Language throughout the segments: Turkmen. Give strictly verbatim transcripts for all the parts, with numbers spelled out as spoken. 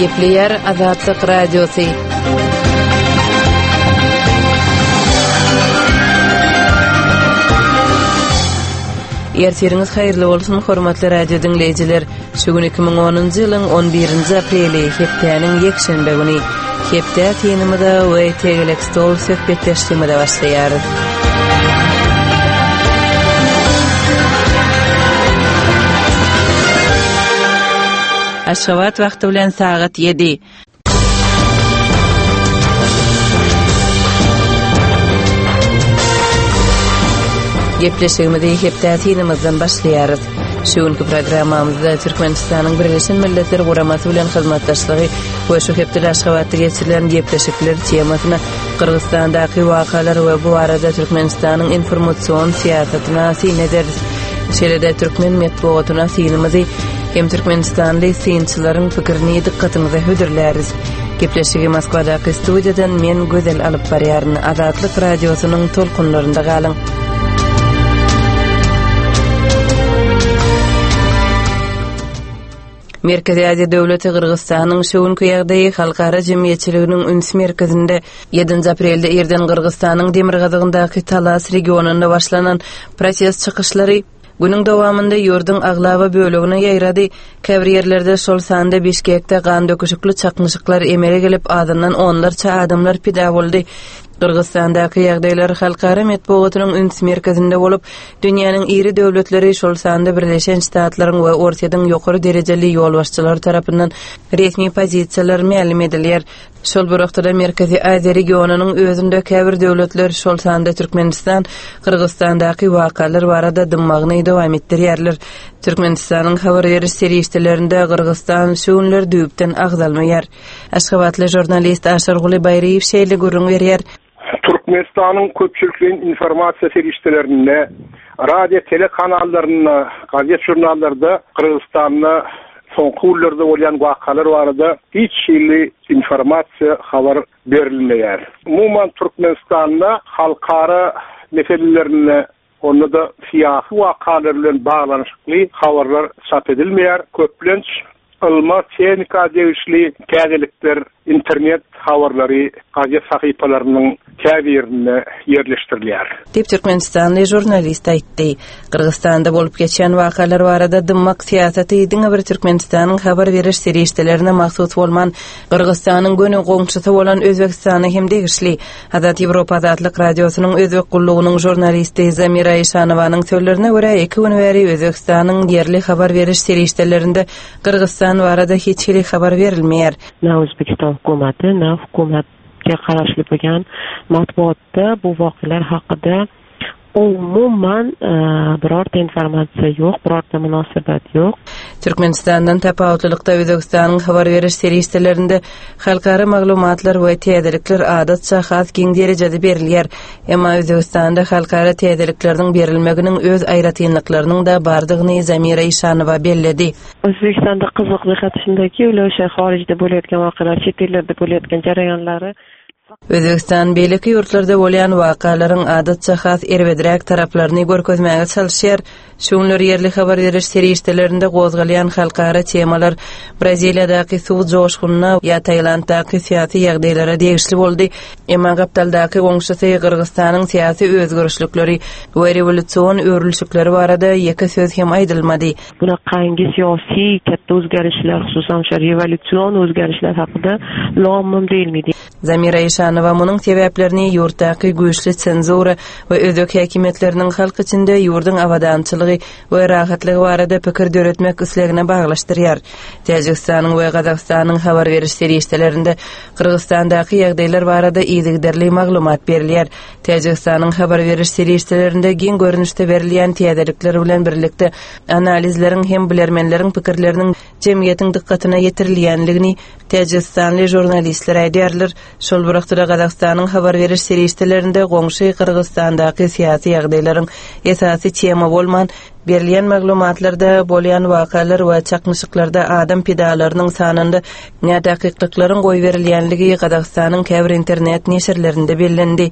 Gepleýär Azatlyk Radiosy. Ertiriňiz haýyrly bolsun, hormatly radio diňleýjiler. Şu gün iki müň onunjy ýylyň on birinji apreli, hepdäniň ýekşenbe güni. Hepde synymyza we tegelek stol söhbetdeşligimize başlaýarys. Aşgabat wagty bilen sagat ýedi. Gepleşigimizi hepde synymyzdan başlaýarys. Şu günki programmamyzda Türkmenistanyň Birleşen Milletler Guramasy bilen hyzmatdaşlygy we şu hepdede Aşgabatda geçirilen gepleşikler temasyna Gyrgyzystandaky wakalar we bu barada Türkmenistanyň informasion syýasatyna syn ederis. Şeýle-de türkmen metbugatyna synymyzy hem türkmenistanly synçylaryň pikirini dykgatyňyza hödürläris. Gepleşigi Moskwadaky studiýadan men Gözel alyp barýaryn. Azatlyk radiosynyň tolkunlarynda galyň. Merkezi Aziýa döwleti Gyrgyzystanyň şu günki ýagdaýy halkara jemgyýetçiliginiň üns merkezinde. Ýedinji aprelde irden Gyrgyzystanyň demirgazygyndaky Talas regionynda başlanan protest çykyşlary günüň dowamynda ýurduň aglaba bölegine ýaýrady. Käbir ýerlerde, şol sanda Bişkekde gan döküşikli çaknyşyklar emele gelip, azyndan onlarça adamlar pida boldy. Gyrgyzystandaky ýagdaýlar halkara metbugatynyň üns merkezinde bolup, dünýäniň iri döwletleri, şol sanda Birleşen Ştatlaryň we Orsýetiň ýokary derejeli ýolbaşçylary tarapyndan resmi pozisiýalar mälim edilýär. Şol bir wagtda Merkezi Aziýa regionynyň özünde käbir döwletler, şol sanda Türkmenistan, Gyrgyzystandaky wakalar barada dymmagyny dowam etdirýärler. Türkmenistanyň habar beriş serişdelerinde Gyrgyzystan şu günler düýpden agzalmaýar. Aşgabatly žurnalist Aşyrguly Baýryýew şeýle gürrüň berýär. Türkmenistanyň köpçülikleýin informasiýa serişdelerinde, radio telekanallarynda, gazet žurnallarda Gyrgyzystanda soňky günlerde bolýan wakalar barada hiç hili informasiýa habar berilmeýär. Umuman Türkmenistanda halkara meselelerinde, onda da syýasy wakalar bilen baglanyşykly habarlar çap edilmeýär. Köplenç ylma, tehnika degişli täzelikler, internet habarlary gazet sahypalarynyň käbirinde ýerleşdirilýär. Diýip Türkmenistanly žurnalist aýtdy. Gyrgyzystanda bolup geçen wakalar barada dymmak syýasaty diňe bir Türkmenistanyň habar beriş serişdelerine mahsus bolman, Gyrgyzystanyň göni goňşusy bolan Özbegistana hem degişli. Azat Ýewropa Azatlyk Radiosynyň Özbek gullugynyň žurnalisti Zamira Işanowanyň sözlerine görä, iki gün bäri Özbegistanyň ýerli habar beriş serişdelerinde Gyrgyzystan barada hiç hili habar berilmeýär. Na O'zbekiston hukumati, na hukumatga qarashli bo'lgan matbuotda bu voqealar haqida umuman, e, birorta informatsiýa ýok, birorta munosabat ýok. Türkmenistandan tapawutlylykda Özbegistanyň habar beriş serişdelerinde halkara maglumatlar we täzelikler adatça has giň derejede berilýär. Emma Özbegistanda halkara täzelikleriniň berilmeginiň öz aýratynlyklarynyň-da bardygyny Zamira Işanowa belledi. O'zbekistonda qiziq jihat shundaki, ular o'sha xorijda bo'layotgan voqealar, chet ellarda bo'layotgan jarayonlari Özbegistan beýleki ýurtlarda bolýan wakalaryň adatça has erbedräk taraplaryny görkezmäge çalyşýar. Şu günler ýerli habar beriş serişdelerinde gozgalýan halkara temalar Braziliýadaky suw joşgunyna ýa Tailanddaky syýasy ýagdaýlara degişli boldy. Emma gapdaldaky goňşusy Gyrgyzystanyň syýasy özgerişlikleri we rewolýusion öwrülişikleri barada ýeke söz hem aýdylmady. Bunaqangi siyosiy katta o'zgarishlar, xususan o'sha revolyutsion o'zgarishlar haqida lom-mim deyilmaydi. Zamira Işanowa munuň sebäplerini ýurtdaky güýçli senzura we özbek häkimiýetleriniň halk içinde ýurduň abadançylygy we rahatlygy barada pikir döretmek islegine baglaşdyrýar. Täjigistanyň we Gazagystanyň habar beriş serişdelerinde Gyrgyzystandaky ýagdaýlar barada yzygiderli maglumat berilýär. Täjigistanyň habar beriş serişdelerinde giň görnüşde berilýän täzelikler bilen birlikde analizleriň hem bilermenleriň pikirleriniň jemgyýetiň dykgatyna ýetirilýänligini Täjigistanly žurnalistler aýdýarlar. Şol bir wagtda Gazagystanyň habar beriş serişdelerinde goňşy Gyrgyzystandaky syýasy ýagdaýlaryň esasy tema bolman, berilýän maglumatlarda bolýan wakalar we çaknyşyklarda adam pidalarynyň sanynda nädakyklyklaryň goýberilýänligi Gazagystanyň käbir internet neşirlerinde bellendi.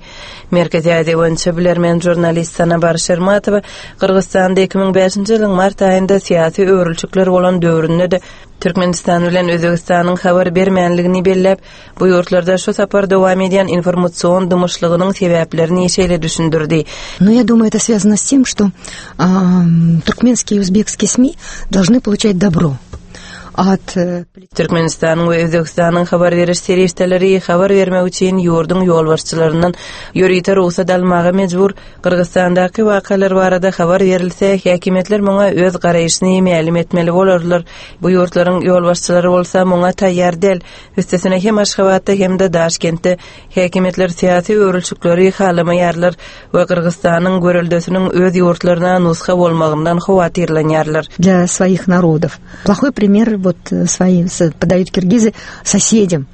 Merkezi Aziýa boýunça bilermen žurnalist Sanabar Şermatowa Gyrgyzystanda iki müň bäşinji ýylyň mart aýynda syýasy öwrülişikler bolan döwründe-de Türkmenistan bilen Özbegistanyň habar bermänligini belläp, bu ýurtlarda şu sapar dowam edýän informasion dymyşlygynyň sebäplerini şeýle düşündirdi. Но я думаю, это связано с тем, что э, туркменские и узбекские СМИ должны получать добро от э, Türkmenistanyň we Özbegistanyň habar beriş serişdeleri habar bermek üçin ýurduň ýolbaşçylaryndan ýörite rugsat almaga mejbur. Gyrgyzystandaky wakalar barada habar berilse, häkimiýetler muňa öz garaýşyny mälim etmeli bolarlar. Bu ýurtlaryň ýolbaşçylary bolsa muňa taýýar däl. Üstesine hem Aşgabatda hem-de Daşkentde häkimiýetler syýasy öwrülişikleri halamaýarlar we Gyrgyzystanyň göreldesiniň öz ýurtlaryna nusga bolmagyndan howatyrlanýarlar. для своих народов. Плохой пример вот э, свои подают киргизы соседям.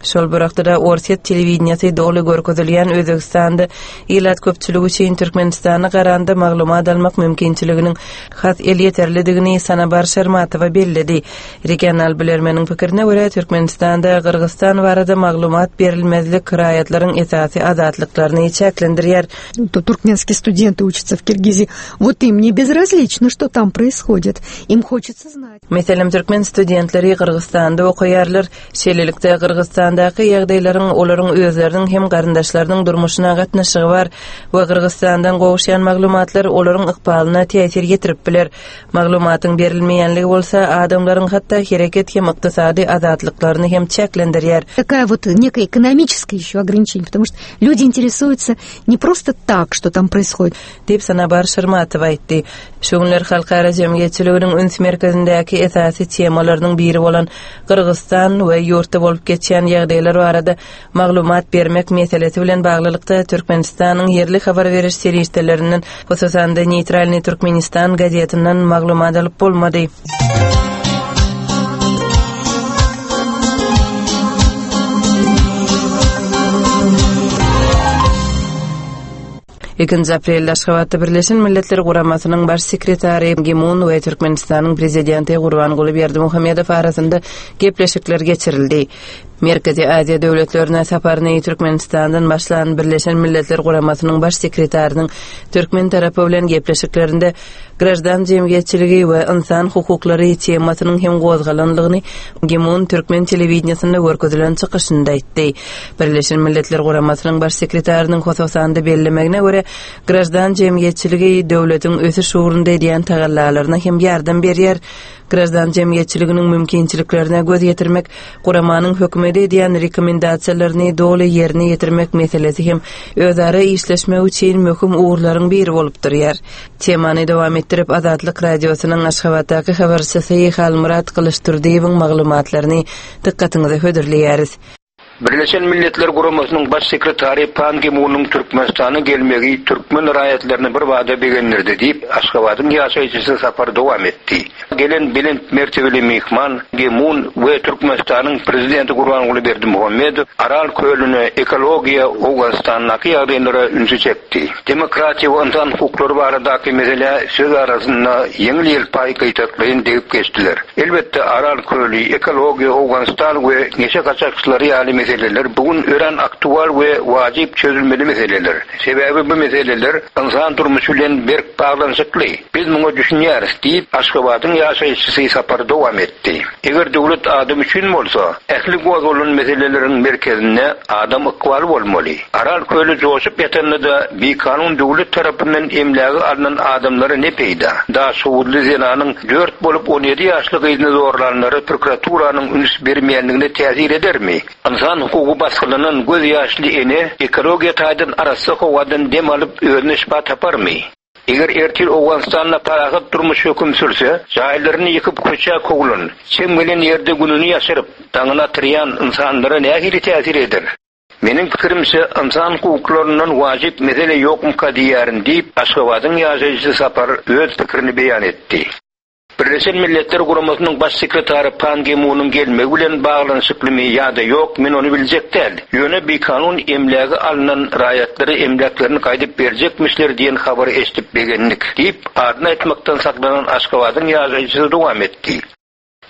Şol bir wagtda Orsýet telewideniýesi doly görkezilýän Özbegistanda ilat köpçüligi üçin Türkmenistana garanda maglumat almak mümkinçiliginiň has elýeterlidigini Sanabar Şermatowa belledi. Regional bilermeniň pikirine görä Türkmenistanda Gyrgyzystan barada maglumat berilmezlik raýatlaryň esasy azatlyklaryny çäklendirýär. То туркменские студенты учатся в Киргизии. Вот им не безразлично, что там происходит. Им хочется знать. Meselem türkmen studentleri Gyrgyzystanda okaýarlar. Şeýlelikde Gyrgyzystandaky ýagdaýlaryň olaryň özleriniň hem garyndaşlarynyň durmuşyna gatnaşygy bar we Gyrgyzystandan gowuşýan maglumatlar olaryň ykbalyna täsir ýetirip biler. Maglumatyň berilmeýänligi bolsa adamlaryň hatda hereket hem ykdysady azatlyklaryny hem çäklendirýär. Такая вот некое экономическое еще ограничение, потому что люди интересуются не просто так, что там происходит. Diýip Sanabar Şermatowa aýtdy. Şu günler halkara jemgyýetçiliginiň üns merkezindäki esasy temalarynyň biri bolan Gyrgyzystan we ýurtda bolup geçýän ýagdaýlar barada maglumat bermek meselesi bilen baglylykda Türkmenistanyň ýerli habar beriş serişdelerinden, hususan-da Neytralny Türkmenistan gazetinden maglumat alyp bolmady. Ikinji aprelde Aşgabatda Birleşen Milletler Guramasynyň baş sekretary Gimun we Türkmenistanyň prezidenti Gurbanguly Berdimuhamedow arasynda gepleşikler geçirildi. Merkezi Aziýa döwletlerine saparyny Türkmenistandan başlan Birleşen Milletler Guramasynyň baş sekretarynyň türkmen tarapy bilen gepleşiklerinde grajdan jemgyýetçiligi we insan hukuklary temasynyň hem gozgalanlygyny Gimun türkmen telewideniýesinde görkezilen çykyşynda aýtdy. Birleşen Milletler Guramasynyň baş sekretarynyň hususan bellemegine görä grajdan jemgyýetçiligi döwletiň ösüş ugrunda edýän tagallalaryna hem ýardam berýär. Grajdan jemgyýetçiliginiň mümkinçiliklerine göz ýetirmek, guramanyň hökümete edýän rekomendasiýalaryny doly ýerine ýetirmek meselesi hem özara işleşmek üçin möhüm ugurlaryň biri bolup durýar. Temany dowam etdirip Azatlyk radiosynyň Aşgabatdaky habarçysy Halmyrat Gylyçdurdyýewiň maglumatlaryny dykgatyňyza hödürleýäris. Birleşen Milletler Guramasynyň baş sekretary Pan Gi-munyň Türkmenistana gelmegi türkmen raýatlaryny bir bada begendirdi diýip, Aşgabadyň ýaşaýjysy sapar dowam etdi. Gelen belent mertebeli mehman Gi-mun we Türkmenistanyň prezidenti Gurbanguly Berdimuhamedow Aral kölüne ekologiýa Owganystandaky ýagdaýlara ünsi çekdi. Demokratiýa we insan hukuklary baradaky mesele söz arasynda ýeňil ýelpaý gaýtaklaýyn degip geçdiler. Elbetde Aral köli, ekologiýa, Owganystan we neşe gaçakçylary ýaly meseleler bugün ören aktual we wajib çözülmeli meseleler. Sebäbi bu meseleler insan durmuşy bilen berk baglanyşykly. Biz muňa düşünýäris diýip Aşgabadyň ýaşaýjysy sapar dowam etdi. Eger döwlet adam üçin bolsa, ähli gozgalan meseleleriň merkezinde adam ykbaly bolmaly. Aral köli joşup ýatanda-da bikanun döwlet tarapyndan emlägi alnan adamlara ne peýda? Daşoguzly zenanyň dört bolup on ýedi ýaşly gyzyny zorlanlara prokuraturanyň üns bermeýänligine täsir edermi? Insan hukugy basgylanan göz ýaşly ene ekologiýa taýdan arassa howadan dem alyp özüne şypa taparmy? Eger ertir Owganystanda parahat durmuş höküm sürse, jaýlaryny ýykyp köçä kowulan, çem gelen ýerde gününi ýaşyryp, daňyna atyrýan insanlara nähili täsir eder? Meniň pikirimçe insan hukuklaryndan wajib mesele ýokmyka diýýärin diýip, Aşgabadyň ýaşaýjysy sapar öz pikirini beýan etdi. Birleşen Milletler Guramasynyň baş sekretary Pan Gi-munyň gelmegi bilen baglanyşyklymy ýa-da ýok, men ony biljek däl. Ýöne bikanun emlägi alnan raýatlary emläklerini gaýdyp berjekmişler diýen habary eşidip begendik diýip, adyny aýtmakdan saklanan Aşgabadyň ýaşaýjysy dowam etdi.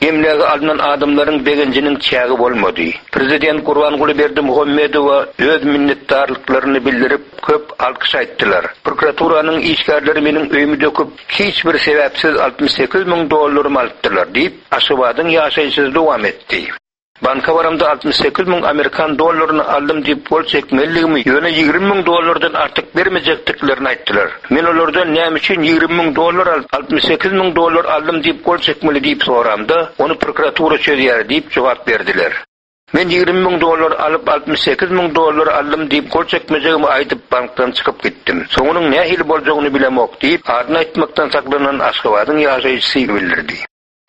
Emlägi alnan adamlaryň begenjiniň çägi bolmady. Prezident Gurbanguly Berdimuhamedowa öz minnetdarlyklaryny bildirip, köp alkyş aýtdylar. Prokuraturanyň işgärleri meniň öýümi döküp, hiç bir sebäpsiz altmyş sekiz müň dollarymy alypdylar diýip, Aşgabadyň ýaşaýjysy dowam etdi. Banka baramda altmyş sekiz müň amerikan dollaryny aldym diýip gol çekmelidigimi, ýöne ýigrimi müň dollardan artyk bermejekdiklerini aýtdylar. Men olardan näme üçin ýigrimi müň dollar alyp, altmyş sekiz müň dollar aldym diýip gol çekmeli diýip soramda, ony prokuratura çözýär diýip jogap berdiler. Men ýigrimi müň dollar alyp, altmyş sekiz müň dollar aldym diýip gol çekmejegimi aýdyp bankdan çykyp gitdim. Soňunyň nähili boljagyny bilemok diýip, adyny aýtmakdan saklanan Aşgabadyň ýaşaýjysy bildirdi.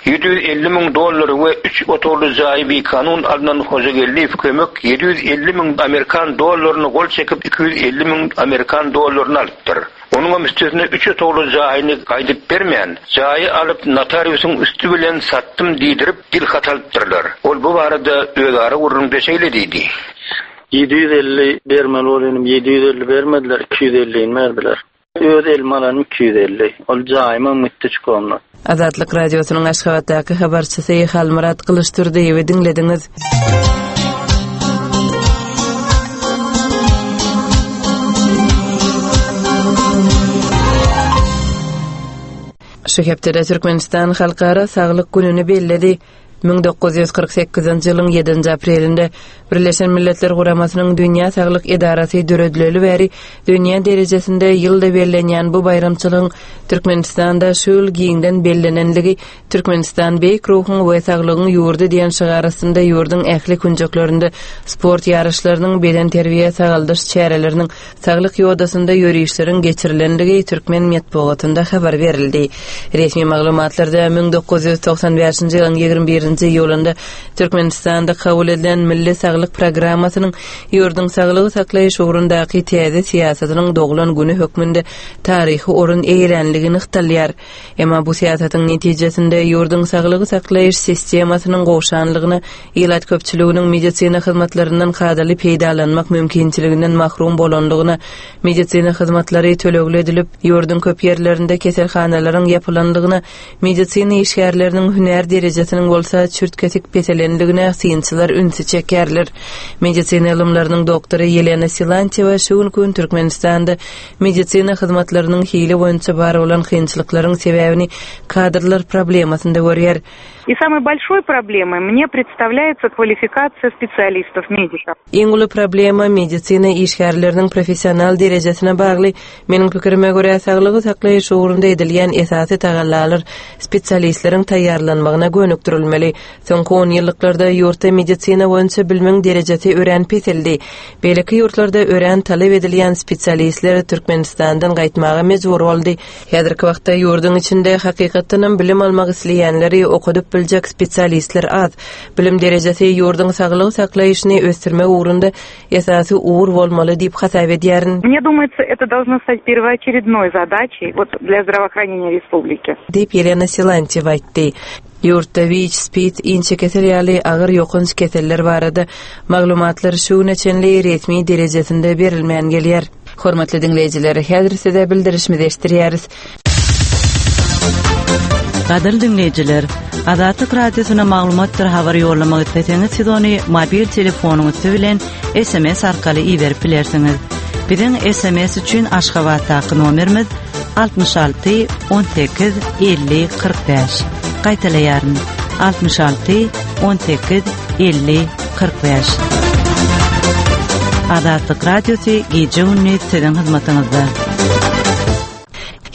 Ýedi ýüz elli müň dollary we üç otagly jaýy bikanun alnan Hojageldiýew kömek ýedi ýüz elli müň amerikan dollaryny gol çekip iki ýüz elli müň amerikan dollaryny alypdyr. Onuň üstesine üç otagly jaýyny gaýdyp bermän, jaýy alyp notariusyň üsti bilen satdym diýdirip dil hat alypdyrlar. Ol bu barada özara gürrüňde şeýle diýdi. Ýedi ýüz elli bermeli bolýanym, ýedi ýüz elli bermediler, iki ýüz ellini berdiler. Öz elime alanym iki ýüz elli. Ol jaýyma mütdi çykanlar. Azatlyk Radiosynyň Aşgabatdaky habarçysy Halmyrat Gylyçdurdyýewi diňlediňiz. Şu hepdede Türkmenistan Halkara Saglyk gününi belledi. Müň dokuz ýüz kyrk sekizinji ýylyň ýedinji aprelinde Birleşen Milletler Guramasynyň Dünýä Saglyk Edarasy döredileli bäri dünýä derejesinde ýylda bellenýän bu baýramçylygyň Türkmenistanda şu ýyl giňden bellenenligi Türkmenistan beýik ruhuň we saglygyň ýurdy diýen şygar astynda ýurduň ähli künjeklerinde sport ýaryşlarynyň, bedenterbiýe sagaldyş çäreleriniň, saglyk ýodasynda ýörişleriň geçirilenligi türkmen metbugatynda habar berildi. Resmi maglumatlarda müň dokuz ýüz togsan bäşinji ýylyň ýigrimi birinji iýulynda Türkmenistanda kabul edilen Milli Saglyk Programmasynyň ýurduň saglygy saklaýyş ugrundaky täze syýasatynyň doglan güni hökmünde taryhy orun eýelänligi nygtalýar. Emma bu syýasatyň netijesinde ýurduň saglygy saklaýyş sistemasynyň gowşanlygyna, ilat köpçüliginiň medisina hyzmatlaryndan kadaly peýdalanmak mümkinçiliginden mahrum bolanlygyna, medisina hyzmatlary tölegli edilip, ýurduň köp ýerlerinde keselhanalaryň ýapylanlygyna, medisina işgärleriniň hünär derejesiniň bolsa çürt-kesik peselenligine synçylar ünsi çekerler. Medisina ylymlarynyň doktory Ýelena Silantýewa şu gün gün Türkmenistanda medisina hyzmatlarynyň hili boýunça bar bolan kynçylyklaryň sebäbini kadrlar problemasynda görýär. И самой большой проблемой мне представляется kwalifikasiýa специалистов, медиков. Iň uly problema medisina işgärleriniň professional derejesine bagly. Meniň pikirime görä saglygy saklaýyş ugrunda edilýän esasy tagallalar spesialistleriň taýýarlanmagyna gönükdirilmeli. Soňky on ýyllyklarda ýurtda medisina boýunça bilimiň derejesi örän peseldi. Beýleki ýurtlarda örän talap edilýän spesialistler Türkmenistandan gaýtmaga mejbur boldy. Häzirki wagtda ýurduň içinde hakykatdanam bilim almak isleýänleri okadyp biljek spesialistler az. Bilim derejesi ýurduň saglygy saklaýşyny ösdürmek ugrunda esasy ugur bolmaly diýip hasap edýärin. Мне думается, это должно стать первоочередной задачей вот для здравоохранения республики. Diýip Ýelena Silantýewa aýtdy. Ýurtda WIC, SPID, inçe kesel ýaly agyr ýokanç keseller barada maglumatlar şu güne çenli resmi derejesinde berilmän gelýär. Hormatly diňleýjiler, häzir size bildirişimizi eşitdirýäris. Gadyrly diňleýjiler, Azatlyk Radiosyna maglumatdyr habar ýollamak isleseňiz, siz ony mobil telefonyňyz bilen S M S arkaly iberip bilersiňiz. Biziň S M S üçin Aşgabatdaky nomerimiz altmyş alty on sekiz elli kyrk bäş. Gaýtalaýaryn. Altmyş alty on sekiz elli kyrk bäş. Azatlyk Radiosy gije gündüz siziň hyzmatyňyzda.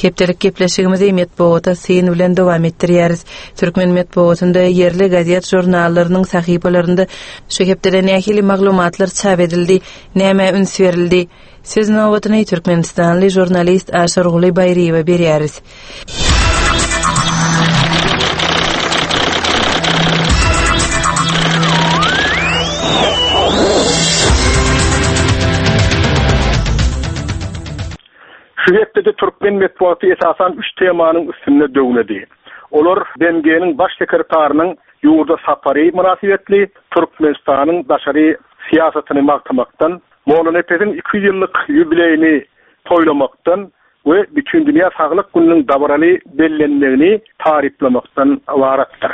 Hepdelik gepleşigimizi metbugatda syn bilen dowam etdirýäris. Türkmen metbugatynda ýerli gazet žurnallarynyň sahypalarynda şu hepdede nähili maglumatlar çap edildi, näme üns berildi? Söz nobatyny Türkmenistanly žurnalist Aşyrguly Baýryýewa berýäris. Şu hepdede Türkmen metbugaty esasan üç temanyň üstünde döwnedi. Olar B M G-niň baş sekretarynyň ýurda safari mynasybetli Türkmenistanyň daşary syýasatyny magtamakdan, Mollanepesiň iki ýüz ýyllyk ýubileýini toýlamakdan we Bütindünýä Saglyk gününiň dabaraly bellenmegini taryplamakdan ybaratdyr.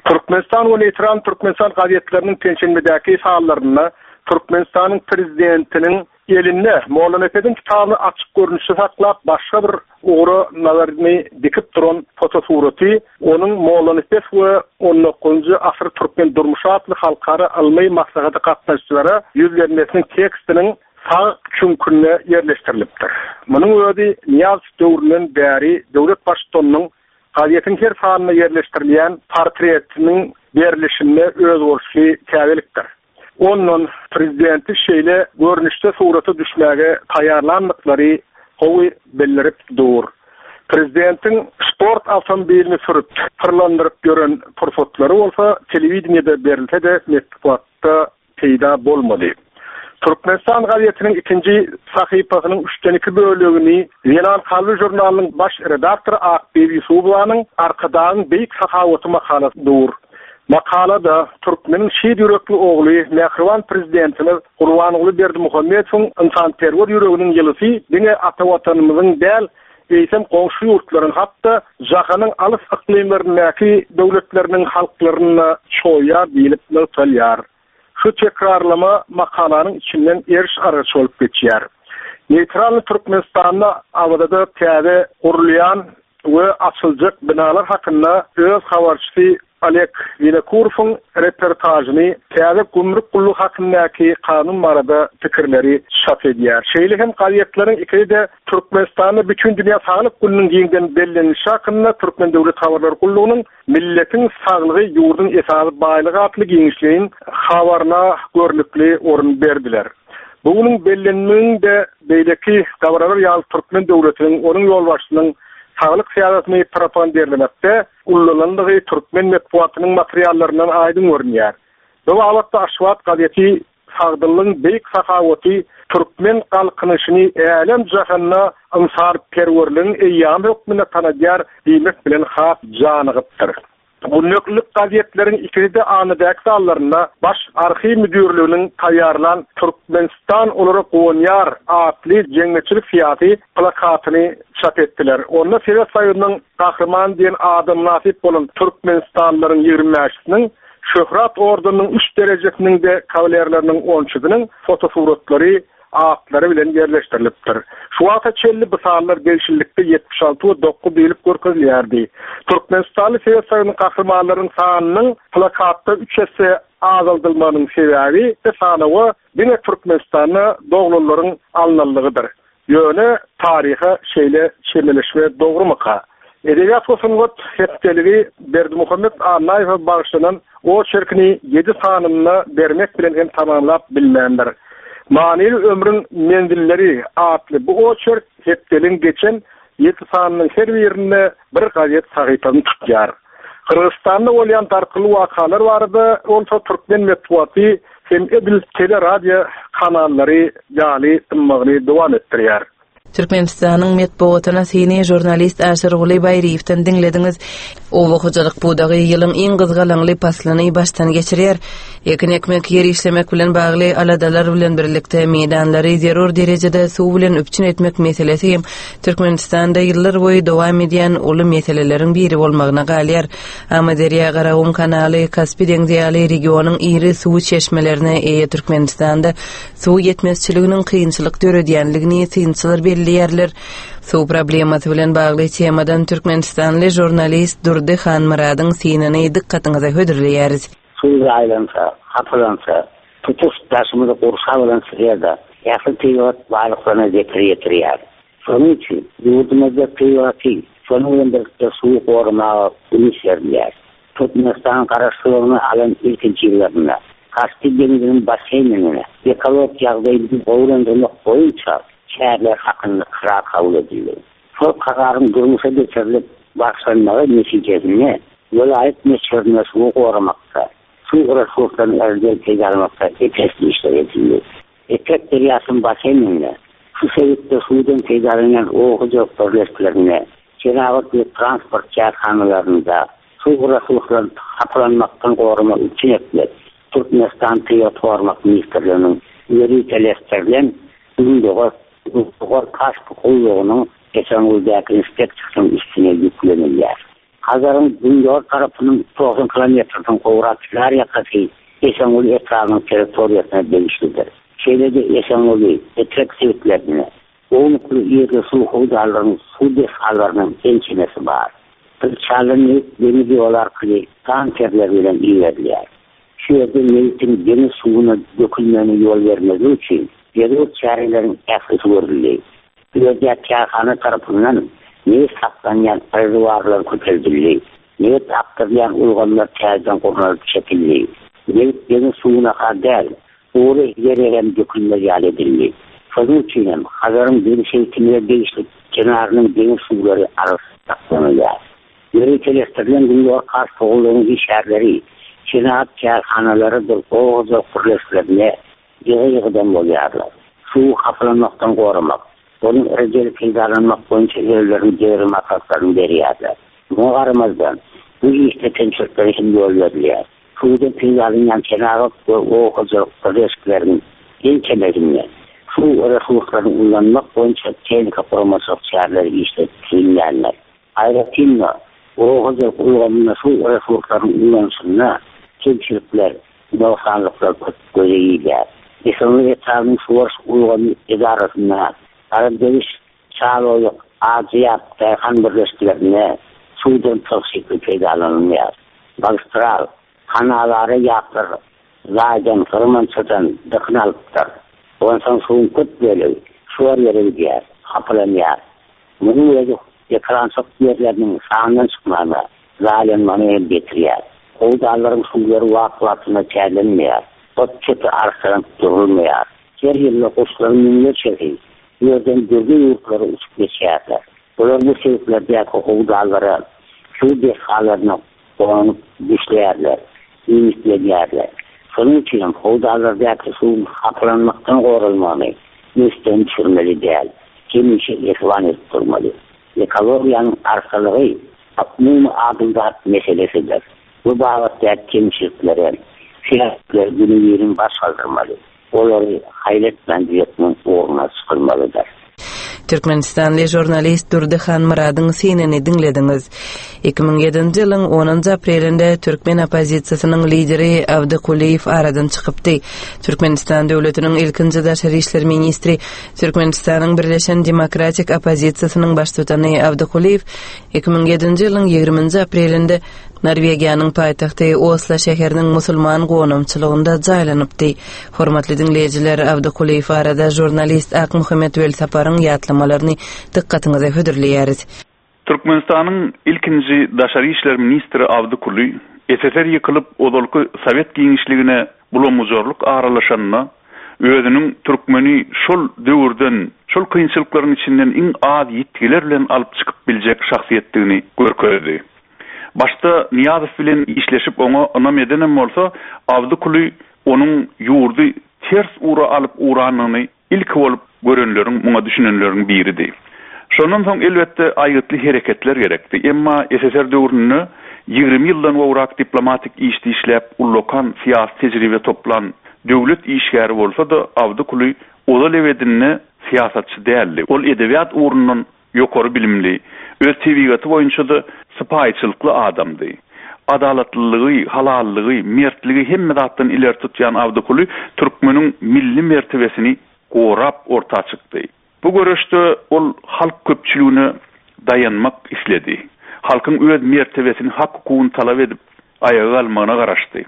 Türkmenistan we Neýtral Türkmenistan gazetleriniň penşenbedäki sanlarynda Türkmenistanyň prezidentiniň elinde Mollanepesiň kitabyny açyk görnüşde saklap başga bir ugra nazaryny dikip duran fotosuraty onuň Mollanepes we on dokuzynjy asyr türkmen durmuşy atly halkara ylmy maslahata gatnaşyjylara ýüzlenmesiniň tekstiniň sag çüňkünde ýerleşdirilipdir. Munuň özi Nyýazow döwründen bäri döwlet baştutanynyň gazetiň her sanynda ýerleşdirilýän portretiniň berilişinde özboluşly täzelikdir. Ondan prezidenti şeýle görnüşde surata düşmäge taýýarlandyklary gowy bildirip dur. Prezidentiň sport awtomobilini sürüp, pyrlandyryp ýören pursatlary bolsa telewideniýede berilse-de metbugatda peýda bolmady. Türkmenistan gazetiniň ikinji sahypasynyň üçden iki bölegini Zenan Kalby žurnalynyň baş redaktory Akbibi Ýusubowanyň Arkadagyň Beýik Sahawaty makalasy dur. Makalada Türkmeniň şir ýürekli ogly mähriban prezidentimiz Gurbanguly Berdimuhamedowyň ynsanperwer ýüreginiň ýylysy diňe ata watanymyzyň däl, eýsem goňşy ýurtlaryň hatda jahanyň alys yklymlaryndaky döwletleriniň halklaryna çoýar diýilip nygtalýar. Şu tekrarlama makalanyň içinden eriş argaç bolup geçýär. Neýtral Türkmenistanda Awazada täze gurulýan we açyljak binalar hakynda öz habarçysy Oleg Winokurowyň reportajyny täze gümrük gullugy hakyndaky kanun barada pikirleri çap edýär. Şeýle hem gazetleriň ikisi-de Türkmenistanda bütün dünýä saglyk gününiň giňden bellenilişi hakynda Türkmen Döwlet Habarlar Gullugynyň Milletiň saglygy ýurduň esasy baýlygy atly giňişleýin habaryna görnükli orun berdiler. Bu günüň bellenmeginde beýleki dabaralar ýaly Türkmen döwletiniň onuň ýolbaşçysynyň saglyk syýasatyny propagandirlemekde ullanandygy Türkmen metbugatynyň materiallaryndan aýdyň görünýär. Bu babatda Aşgabat gazeti sagdynlygyň beýik sahawaty Türkmen galkynyşyny älem jahanda ynsanperwerligiň eýýamy hökmünde tanadýar diýmek bilen has janygypdyr. Günlüklik gazetleriň ikisi-de anadäki sallarynda Baş arhiw müdürliginiň taýýarlan Türkmenistan olara guwanýar atly jemgyýetçilik syýasy plakatyny çap etdiler. Onda Sowet Soýuzynyň gahryman diýen adam mynasyp bolan Türkmenistanlylaryň ýigrimi bäşisiniň Şöhrat ordeniniň üç derejesiniň de kawalerleriniň onçusynyň fotosuratlary atlary bilen ýerleşdirilipdir. Şu wagta çenli bu sanlar degişlilikde ýetmiş alty we dokuz diýilip görkezilýärdi. Türkmenistanly Sowet Soýuzynyň gahrymanlarynyň sanynyň plakatda üç esse azaldylmagynyň sebäbi de sanawa diňe Türkmenistanda doglanlaryň alynanlygydyr. Ýöne taryha şeýle çemeleşme dogrumyka? Edebiýat we sungat hepdeligi Berdimuhamet Annaýewe bagyşlanan oçerkini ýedi sanynda bermek bilen hem tamamlap bilmändir. Manyly ömrüň menzilleri atly bu oçerk hepdeligiň geçen ýedi sanynyň her birinde bir gazet sahypasyny tutýar. Gyrgyzystanda bolýan dartgynly wakalar barada bolsa Türkmen metbugaty hem edil teleradio kanallary ýaly dymmagyny dowam etdirýär. Türkmenistanyň metbugatyna syny žurnalist Aşyrguly Baýryýewden diňlediňiz. Oba hojalyk pudagy ýylyň iň gyzgalaňly paslyny başdan geçirýär. Ekin ekmek, ýer işlemek bilen bagly aladalar bilen birlikde meýdanlary zerur derejede suw bilen üpjün etmek meselesi hem Türkmenistanda ýyllar boýy dowam edýän uly meseleleriň biri bolmagyna galýar. Amyderýa Garagum kanaly Kaspi deňzi ýaly regionyň iri suw çeşmelerine eýe Türkmenistanda suw ýetmezçiliginiň kynçylyk döredýänligini synçylar belleýärler. Suw problemasy bilen bagly temadan Türkmenistanly žurnalist Durdy Hanmyradyň synyny dykgatyňyza hödürleýäris. Suw aýlansa, hapalansa, tutuş daşymyzy gurşap alan sferada ähli tebigat baýlyklaryna zeper ýetirýär. Şonuň üçin ýurdumyzda tebigaty, şonuň bilen birlikde suwy goramaga üns berilýär. Türkmenistan garaşsyzlygyny alan ilkinji ýyllarynda Kaspi deňziniň basseýnine ekologik ýagdaýyny gowulandyrmak boýunça çäreler hakynda karar kabul edildi. Şol kararyň durmuşa geçirilip başlanmagy netijesinde welaýat möçberinde suwy goramakda, suw resurslaryny elde peýdalanmakda epesli işler edildi. Etrek derýasynyň basseýninde şu sebitde suwdan peýdalanýan oba hojalyk birleşiklerinde, senagat we transport kärhanalarynda suw resurslaryny hapalanmakdan goramak üçin etmek, Türkmenistan Tebigat Goramak Ministrliginiň ýöriteleşdirilen Gündogar Gündogar Kaspi gullugynyň Esenguldäki inspeksiýasynyň üstüne ýüklenilýär. Hazaryň gündogar tarapynyň togsan kilometrden gowrak kenar ýakasy Esenguly etrabynyň territoriýasyna degişlidir. Şeýle-de Esenguly, Etrek sebitlerinde ownukly ýerli suw howdanlarynyň suw desgalarynyň ençemesi bar. Pylçaly nebit deňiz ýoly arkaly tankerler bilen iberilýär. Şu ýerde nebitiň deňiz suwuna dökülmegine ýol bermezlik üçin zerur çäreleriň ählisi görüldi. Bu ýerde kärhana tarapyndan nebit saklanýan rezerwuarlar köpeldildi. Nebit akdyrylýan ulgamlar täzeden gurnalyp çekildi. Nebit deňiz suwuna däl, gury ýere hem dökülmez ýaly edildi. Şonuň üçin hem Hazaryň deňiz sebitine degişli kenarynyň deňiz suwlary arassa saklanylýar. Ýöriteleşdirilen Gündogar Kars howlunyň işgärleri senagat kärhanalarydyr oba hojalyk birleşiklerine ýygy-ýygydan bolýarlar. Suwy hapalanmakdan goramak, onuň rejeli peýdalanmak boýunça özleriniň zerur maslahatlaryny berýärler. Muňa garamazdan, bu işde kemçiliklere hem ýol berilýär. Suwdan peýdalanýan senagat we oba hojalyk birleşikleriniň ençemesinde suw resurslaryny ulanmak boýunça tehniki guramaçylyk çäreleri işlenip düzülýärler. Aýratyn-da, oba hojalyk ulgamynda suw resurslarynyň ulanyşynda kemçilikler, nogsanlyklar köp göze ilýär. Esenguly etrabynyň suwaryş ulgamy edarasynda Garadegiş, Çaloýuk, Ajyýap, Daýhan birleşiklerinde suwdan tygşytly peýdalanylýar. Magistral, kanallara ýaplar, zaýdan, gyrmançadan dykyn alypdyr. Onsoň suwuň köp bölegi şor ýere gidýär, hapalanýar. Munuň özi ekerançylyk ýerleriniň sandan çykmagyna, zaýalanmagyna hem getirýär. Howdanlaryň suwlary wagt-wagtynda täzelenmeýär. Ot çöpi arassalanyp durulmaýar. Her ýylda guşlaryň müňlerçesi bu ýerden dürli ýurtlara uçup geçýärler. Olar bu sebitlerdäki howdanlara, suw desgalaryna gonup düşleýärler, iýmitlenýärler. Şonuň üçin hem howdanlardaky suwuň hapalanmakdan goralmagyny ünsden düşürmeli däl. Hemişe esewan edip durmaly. Ekologiýanyň arassalygy umumy adamzat meselesidir. Bu babatda kemçiliklere, sebäpler günübirin baş galdyrmaly. Olary haýretmän düzetmegiň ugruna çykylmalydyr. Türkmenistanly žurnalist Durdy Hanmyradyň synyny diňlediňiz. Iki müň ýedinji ýylyň onunjy aprelinde türkmen oppozisiýasynyň lideri Abdy Kulyýew aradan çykypdy. Türkmenistan döwletiniň ilkinji daşary işler ministri, Türkmenistanyň Birleşen Demokratik oppozisiýasynyň baştutany Abdy Kulyýew iki müň ýedinji ýylyň ýigriminji aprelinde Norwegiýanyň paýtagty Oslo şäheriniň musulman gonamçylygynda jaýlanypdy. Hormatly diňleýjiler, Abdy Kulyýew barada žurnalist Akmuhammet Welsaparyň ýatlamalaryny dykgatyňyza hödürleýäris. Türkmenistanyň ilkinji daşary işler ministri Abdy Kuly S S R ýykylyp ozalky Sowet giňişligine bulamuzarlyk aralaşanyna özüniň türkmeni şol döwürden, şol kynçylyklaryň içinden iň az ýitgiler bilen alyp çykyp biljek şahsyýetdigini görkezdi. Başda Niýazow bilen işleşip oňa ynam edenem bolsa, Abdy Kuly onuň ýurdy ters ugra alyp ugranyny ilki bolup görenleriň, muňa düşünenleriň biridi. Şondan soň elbetde aýgytly hereketler gerekdi. Emma S S R döwründe ýigrimi ýyldan gowrak diplomatik işde işläp, ullakan syýasy tejribe toplan döwlet işgäri bolsa-da, Abdy Kuly ozal ebedinde syýasatçy däldi. Ol edebiýat ugrundan ýokary bilimli, öz tebigaty boýunça-da sypaýyçylykly adamdy. Adalatlylygy, halallygy, mertligi hemme zatdan ileri tutýan Abdy Kuly türkmeniň milli mertebesini gorap orta çykdy. Bu göreşde ol halk köpçüligine daýanmak isledi. Halkyň öz mertebesini, hak hukugyny talap edip aýaga galmagyna garaşdy.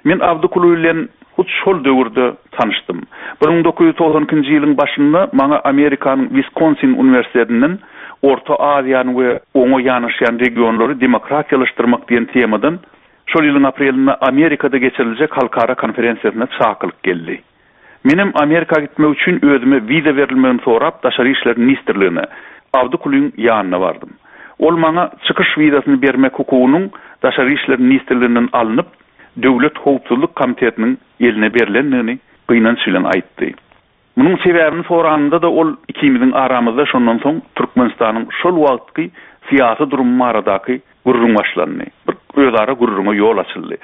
Men Abdy Kuly bilen hut şol döwürde tanyşdym. Bir müň dokuz ýüz togsan ikinji ýylyň başynda maňa Amerikanyň Wiskonsin uniwersitetinden Orta Aziýany we oňa ýanaşýan regionlary demokratiýalaşdyrmak diýen temadan şol ýylyň aprelinde Amerikada geçiriljek halkara konferensiýasyna çakylyk geldi. Menem Amerika gitmek üçin özüme wiza berilmegini sorap Daşary işler ministrligine Abdy Kulyň ýanyna bardym. Ol maňa çykyş wizasyny bermek hukugynyň Daşary işler ministrliginden alnyp Döwlet Howpsuzlyk Komitetiniň eline berlendigini gynanç bilen aýtdy. Munuň sebäbini soranynda da ol ikimiziň aramyzda şondan soň Türkmenistanyň şol wagtky syýasy durumy baradaky gürrüň başlandy. Bir özara gürrüňe ýol açyldy.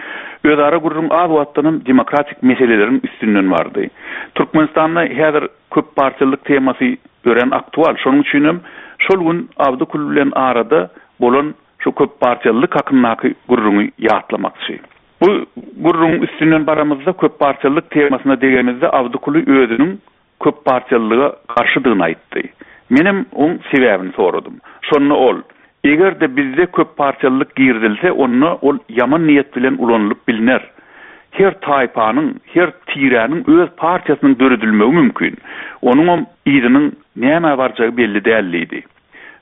Özara gürrüň az wagtdan demokratik meseleleriň üstünden bardy. Türkmenistanda häzir köp partiýalyk temasy örän aktual. Şonuň üçin hem şol gün Abdy Kuly bilen arada bolan şu köp partiýalylyk hakyndaky gürrüňi ýatlamakçy. Bu gürrüň üstünden baramyzda köp partiýalylyk temasyna degenimizde Abdy Kuly özüniň köp partiýalylyga garşydygyny aýtdy. Menem oň sebäbini soradym. Şonda ol, eger-de bizde köp partiýalylyk girizilse, onda ol ýaman niýet bilen ulanylyp bilner. Her taýpanyň, her tiräniň öz partiýasynyň döredilmegi mümkin. Onuňam yzynyň näme barjagy belli däl diýdi.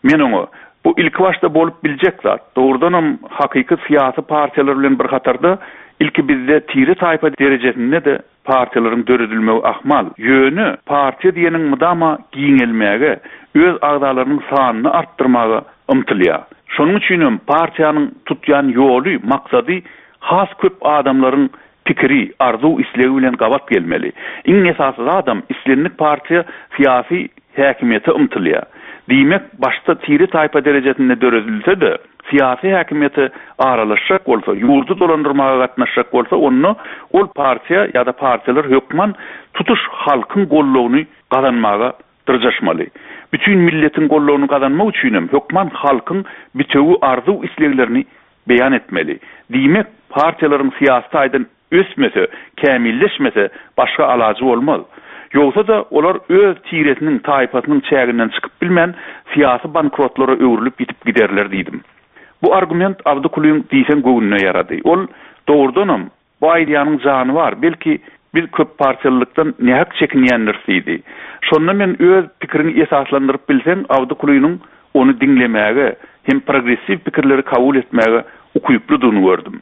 Men oňa bu ilki başda bolup biljek zat, dogrudanam hakyky syýasy partiýalar bilen bir hatarda ilki bizde tire taýpa derejesinde-de partiýalaryň döredilmegi ahmal. Ýöne partiýa diýeniň mydama giňelmäge, öz agzalarynyň sanyny artdyrmaga ymtylýar. Şonuň üçin hem partiýanyň tutýan ýoly, maksady has köp adamlaryň pikiri, arzuw islegi bilen gabat gelmeli. Iň esasy zadam islendik partiýa syýasy häkimiýete ymtylýar. Diýmek, başda tire taýpa derejesinde döredilse-de, syýasy häkimiýete aralaşjak bolsa, ýurdy dolandyrmaga gatnaşjak bolsa, onda ol partiýa ýa-da partiýalar hökman tutuş halkyň gollugyny gazanmaga dyrjaşmaly. Bütün milletiň gollugyny gazanmak üçin hem hökman halkyň bitewi arzuw isleglerini beýan etmeli. Diýmek, partiýalaryň syýasy taýdan ösmese, kämilleşmese başga alajy bolmaz. Ýogsa-da olar öz tiresiniň, taýpasynyň çäginden çykyp bilmän syýasy bankrotlara öwrülip ýitip giderler diýdim. Bu argument Abdy Kulyň diýseň göwnüne ýarady. Ol dogrudanam bu aýdýanyň jany bar, belki biz köp partiýalylykdan nähak çekinýändiris diýdi. Şonda men öz pikirini esaslandyryp bilsem, Abdy Kulynyň ony diňlemäge hem progressiw pikirleri kabul etmäge ukyplydygyny gördüm.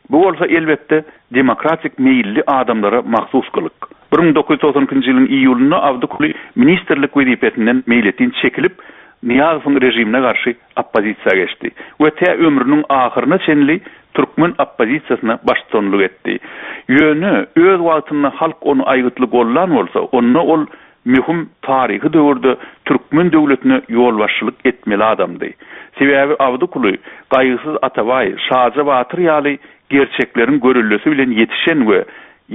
Bu bolsa elbetde demokratik meýilli adamlara mahsus gylyk. bir müň dokuz ýüz togsan ikinji ýylyň iýulynda Abdy Kuly ministrlik wezipesinden meýletin çekilip, Nyýazowyň režimine garşy oppozisiýa geçdi we tä ömrüniň ahyryna çenli türkmen oppozisiýasyna baştutanlyk etdi. Ýöne öz wagtynda halk ony aýgytly gollan bolsa, onda ol möhüm taryhy döwürde türkmen döwletine ýolbaşçylyk etmeli adamdy. Sebäbi Abdy Kuly Gaýgysyz Atabaý, Şaja Batyr ýaly gerçekleriň görellesi bilen ýetişen we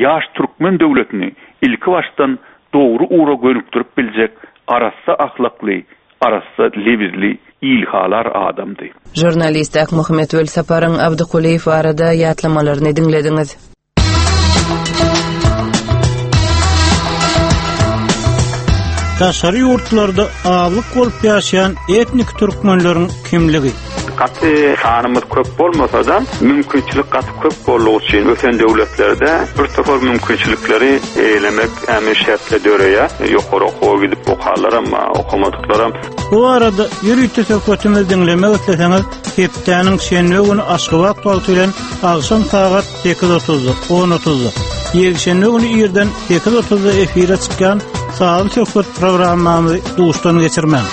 ýaş türkmen döwletini ilki başdan dogry ugra gönükdirip biljek arassa ahlakly, arassa lebizli ilhalar adamdy. Žurnalist Akmuhammet Welsaparyň Abdy Kulyýew barada ýatlamalaryny diňlediňiz. Daşary ýurtlarda azlyk bolup ýaşaýan etnik türkmenleriň kimligi. Gaty sanymyz köp bolmasa da mümkinçilik gaty köp boldugy üçin ösen döwletlerde bir topar mümkinçilikleri eýlemek ämi şertle döreýär. Ýokary okuwa gidip okarlar ama okamadyklaram. Bu arada ýörite söhbetimizi diňlemek isleseňiz, hepdäniň şenbe güni Aşgabat wagty bilen agşam sagat sekiz otuzda, on otuzda, ýekşenbe güni irden sekiz otuzda efire çykýan Sazly söhbet programmamyzy duşdan geçirmäň.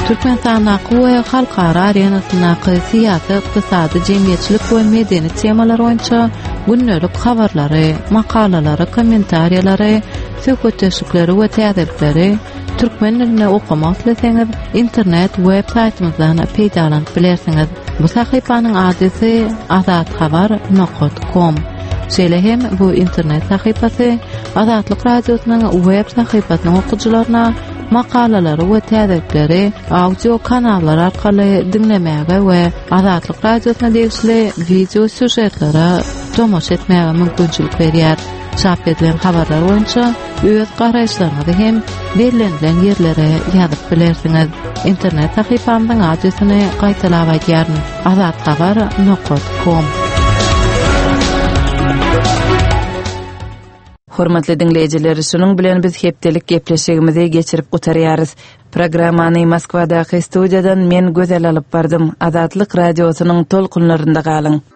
Türkmenistandaky we halkara arenasyndaky syýasy, ykdysady, jemgyýetçilik we medeni temalar boýunça gündelik habarlary, makalalary, kommentariýalary, söhbetdeşlikleri we täzelikleri türkmen dilinde okamak isleseňiz, internet web saýtymyzdan peýdalanyp bilersiňiz. Bu sahypanyň adresi azathabar nokta com. Şeýle hem bu internet sahypasy Azatlyk Radiosynyň web sahypasynyň okyjylaryna makalalary we täzelikleri audio kanallar arkaly diňlemäge we Azatlyk Radiosyna degişli video sýužetlere tomaşa etmäge mümkinçilik berýär. Çap edilen habarlar boýunça öz garaýyşlaryňyzy hem bellenilen ýerlere ýazyp bilersiňiz. Internet sahypamyzyň adresini gaýtalap aýdýaryn: azathabar nokta com. Hormatly diňleýjiler, şunuň bilen biz hepdelik gepleşigimizi geçirip gutarýarys. Programmany Moskwadaky studiýadan men Gözel alyp bardym. Azatlyk radiosynyň tolkunlarynda galyň.